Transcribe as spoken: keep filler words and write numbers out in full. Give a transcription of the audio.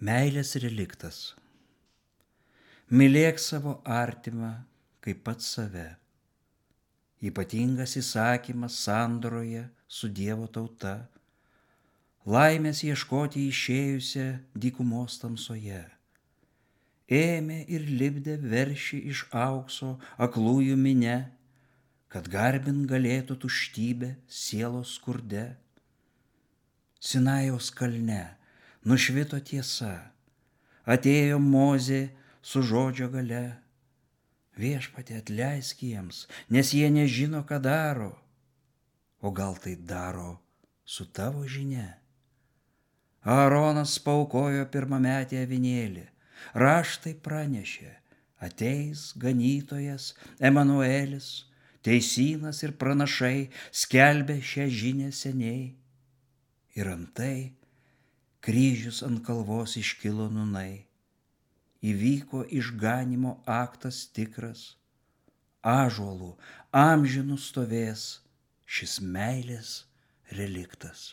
Meilės reliktas. Mylėk savo artimą kaip pats save. Ypatingas įsakymas sandoroje su Dievo tauta. Laimės ieškoti išėjusią dykumos tamsoje. Ėmė ir lipdė veršį iš aukso aklųjų minia, kad garbint galėtų tuštybę sielos skurde. Sinajaus kalne nušvito tiesa, atėjo Mozė su žodžio galia. Viešpatie, atleisk jiems, nes jie nežino, ką daro. O gal tai daro su tavo žinia? Aaronas paaukojo pirmametį avinėlį, raštai pranešė, ateis ganytojas Emanuelis, teisynas ir pranašai skelbė šią žinią seniai. Ir antai kryžius ant kalvos iškilo nūnai, įvyko išganymo aktas tikras, ąžuolų amžinų stovės šis meilės reliktas.